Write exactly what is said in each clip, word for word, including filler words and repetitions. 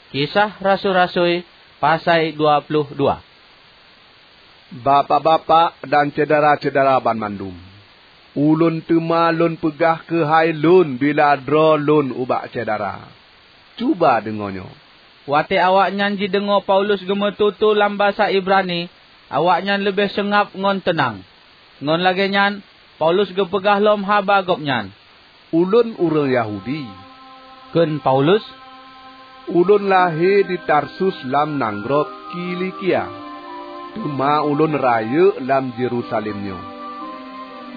Kisah Rasui-rasui, pasai dua ploh dua. Bapak-bapak dan syedara-syedara banmandum, ulôn teuma lôn peugah keuhai lôn bila droe lôn ubak syedara. Cuba deungoe nyoe! Watée awaknyan jideungoe Paulus geumeututoe lam basa Ibrani, awaknyan leubeh seungab ngon teunang. Ngon lagée nyan, Paulus geupeugah lom haba gobnyan. "Ulôn ureuëng Yahudi," kheun Paulus. "Ulôn lahé di Tarsus lam nanggroe Kilikia, teuma ulôn rayeuk lam Yerusalem nyoe,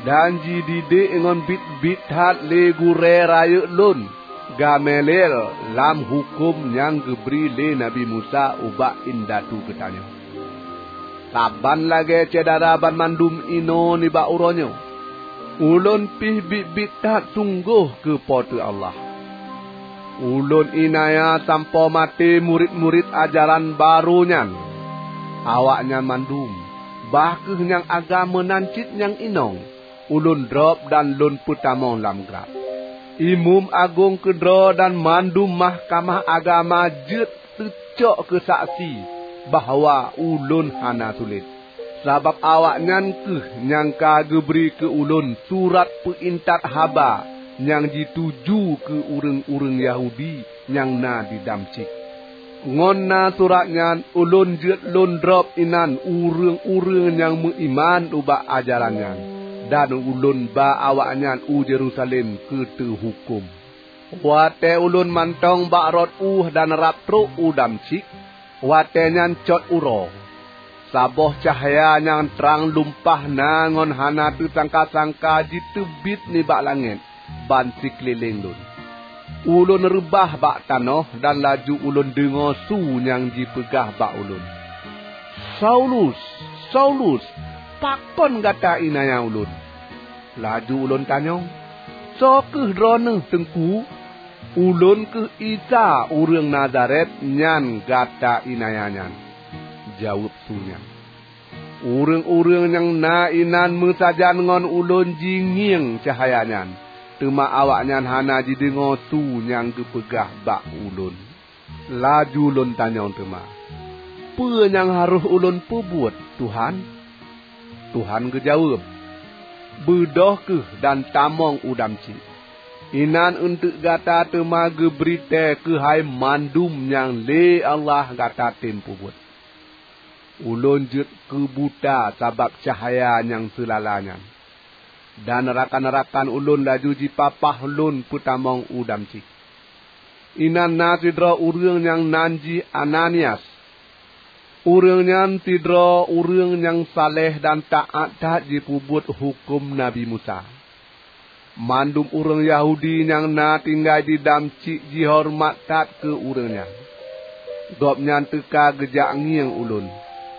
dan jididik ngon biet-biet that lé gurée rayeuk lôn, Gamaliel, lam huköm nyang geubri lé Nabi Musa ubak indatu geutanyoe. Saban lagée syedara banmandum inoe nibak uroe nyoe, ulôn pih biet-biet that sunggoh keu Po teu Allah. Ulôn iénanya sampoe maté murit-murit ajaran barô nyan. Awaknyan mandum, bah kheueh nyang agam meunan cit nyang inong, ulôn drob dan lôn peutamong lam glab. Imeum agong keudroe dan mandum mahkamah agama jeuet teucok keu saksi bahwa ulôn hana sulet. Sabab awaknyan kheueh nyang ka geubri keu ulôn surat peuintat haba nyang jituju keu ureuëng-ureuëng Yahudi nyang na di Damsyik. Ngon na surat nyan ulôn jeuet lôn drob inan ureuëng-ureuëng nyang meuiman ubak ajaran nyan, dan ulôn ba awaknyan u Yerusalem keu teuhuköm. Watée ulôn mantong bak rot ueh dan rab trok u Damsyik, watée nyan cot uroe, saboh cahya nyang trang lumpah na ngon hana teusangka-sangka jiteubiet nibak langét ban sikeulileng lôn. Ulôn reubah bak tanoh dan laju ulôn deungoe su nyang jipeugah bak ulôn, 'Saulus, Saulus, pakon gata iénanya ulôn?' Laju ulôn tanyong, 'Soe kheueh Droeneueh, Teungku?' 'Ulôn kheueh Isa ureuëng Nazaret nyang gata iénanya nyan,' jaweueb su nyan. Ureuëng-ureuëng nyang na inan meusajan ngon ulôn jingieng cahya nyan, teuma awaknyan hana jideungoe su nyang geupeugah bak ulôn. Laju lôn tanyong teuma, 'Peue nyang harôh ulôn peubuet, Tuhan?' Tuhan geujaweueb, 'Beudôh kheueh dan tamong u Damsyik. Inan eunteuk gata teuma geubri tée keuhai mandum nyang lé Allah gata tem peubuet.' Ulôn jeuet keubuta sabab cahya nyang seulala nyan, dan rakan-rakan ulôn laju jipapah lôn peutamong u Damsyik. Inan na sidroe ureuëng nyang nan jih Ananias. Ureuëng nyan sidroe ureuëng nyang saleh dan taát that jipeubuet huköm Nabi Musa. Mandum ureuëng Yahudi nyang na tinggai di Damsyik jihoreumat that keu ureuëng nyan. Gobnyan teuka geujak ngieng ulôn,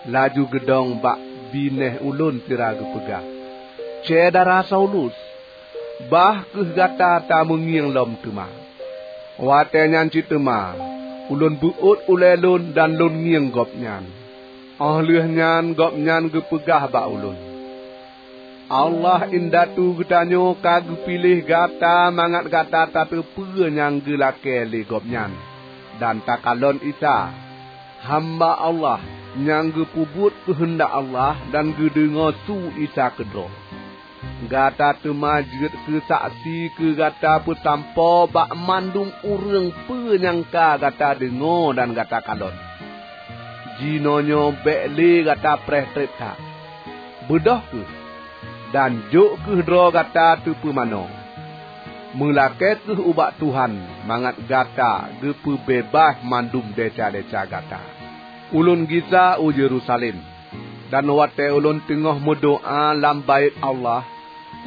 laju geudong bak binéh ulôn sira geupeugah, 'Syedara Saulus, bah kheueh gata tameungieng lom teuma.' Watée nyan cit teuma ulôn beuôt ulée lôn dan lôn ngieng gobnyan. Óh lheueh nyan gobnyan geupeugah bak ulôn, 'Allah indatu geutanyoe ka geupiléh gata mangat gata tateupeue nyang geulakée lé Gobnyan, dan takalon Isa, hamba Allah nyang geupeubuet keuheundak Allah dan geudeungoe su Isa keudroe. Gata teuma jeuet keu saksi keu gata peusampoe bak mandum ureuëng peue nyang ka gata deungoe dan gata kalon. Jinoenyoe bék lé gata preh treb that. Beudôh kheueh, dan jok kheueh droe gata teupeumanoe. Meulakée kheueh ubak Tuhan mangat gata geupeubeubaih mandum desya-desya gata. Ulôn gisa u Yerusalem, dan watée ulôn teungoh meudoá lam Baét Allah,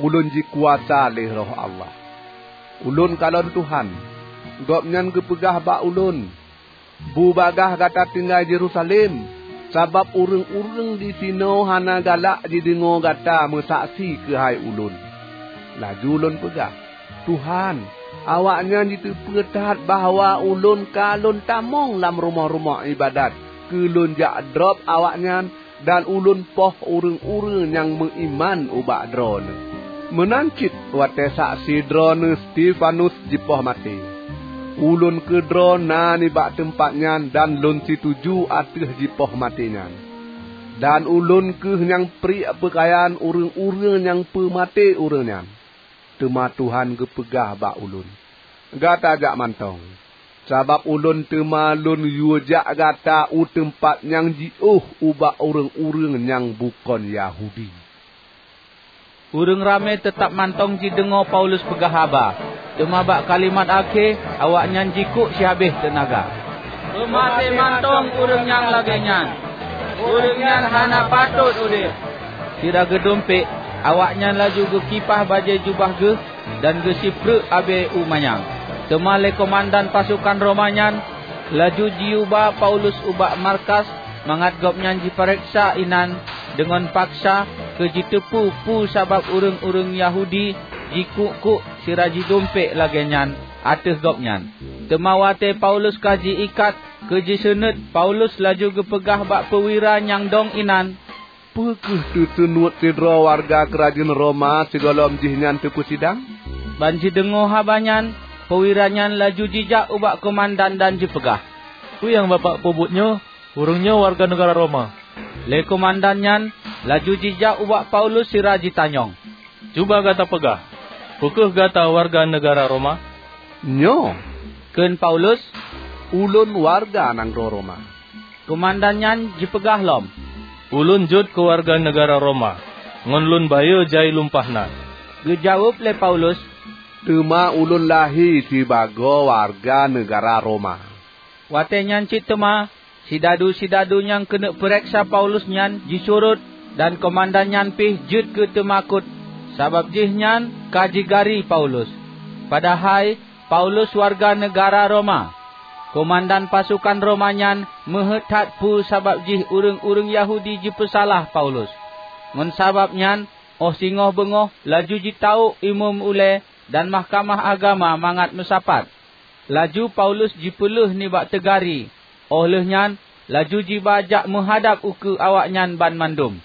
ulôn jikuasa lé Roh Allah. Ulôn kalon Tuhan, Gobnyan geupeugah bak ulôn, 'Bubagaih gata tinggai Yerusalem, sabab ureuëng-ureuëng disinoe hana galak jideungoe gata meusaksi keuhai Ulôn.' Laju lôn peugah, 'Tuhan, awaknyan jiteupeue that bahwa ulôn ka lôn tamong lam rumoh-rumoh iébadat keu lôn jak drob awaknyan dan ulôn poh ureuëng-ureuëng nyang meuiman ubak Droeneueh. Meunan cit watée saksi Droeneueh Stefanus jipoh maté.' Ulôn keudroe na nibak teumpat nyan dan lôn situju ateueh jipoh maté nyan. Dan ulôn kheueh nyang priek peukayan ureuëng-ureuëng nyang peumaté ureuëng nyan. Teuma Tuhan geupeugah bak ulôn, 'Gata jak mantong, sabab ulôn teuma lôn yue jak gata u teumpat nyang jiôh ubak ureuëng-ureuëng nyang bukon Yahudi.' Ureuëng ramé teutab mantong jideungoe Paulus peugah haba, teuma bak kalimat akhé awaknyan jikuk sihabéh teunaga. "Peumaté mantong ureuëng nyang lagée nyan! Ureuëng nyan hana patot udeb!" Sira geudumpék, awaknyan laju geukipah bajée jubah geuh dan geusipreuk abée u manyang. Teuma lé keumandan pasokan Roma nyan laju jiyuba Paulus ubak markas mangat gobnyan jipareksa inan deungon paksa keu jiteupeue peue sabab ureuëng-ureuëng Yahudi jikuk-kuk sira jidumpék lagée nyan ateueh gobnyan. Teuma watée Paulus ka ji-ikat keu jiseunuet, Paulus laju geupeugah bak peuwira nyang dong inan, "Peu kheueh teuseunuet sidroe wareuga keurajeuen Roma sigohlom jihnyan teupeusidang?" Ban jideungoe haba nyan, peuwira nyan laju jijak ubak keumandan dan jipeugah, "Peue nyang bapak peubuet nyoe? Ureuëng nyoe wareuga neugara Roma." Lé keumandan nyan laju jijak ubak Paulus sira jitanyong, "Cuba gata peugah, peu kheueh gata wareuga neugara Roma?" "Nyoe," kheun Paulus, "ulôn wareuga nanggroe Roma." Keumandan nyan jipeugah lom, "Ulôn jeuet keu wareuga neugara Roma, ngon lôn bayeue jai lumpah na." Geujaweueb lé Paulus, "Teuma ulôn lahé sibagoe wareuga neugara Roma." Watée nyan cit teuma, sidadu-sidadu nyang keuneuk peureksa Paulus nyan jisurot, dan keumandan nyan pih jeuet keu teumakot, sabab jihnyan ka jigari Paulus. Padahai Paulus wareuga neugara Roma. Keumandan pasokan Roma nyan meuheuét that peue sabab jih ureuëng-ureuëng Yahudi jipeusalah Paulus. Ngon sabab nyan, óh singoh beungoh laju jitawök imeum ulée dan mahkamah agama mangat meusapat. Laju Paulus jipeuleueh nibak teugari, óh lheueh nyan laju jiba jak meuhadab ukeue awaknyan banmandum.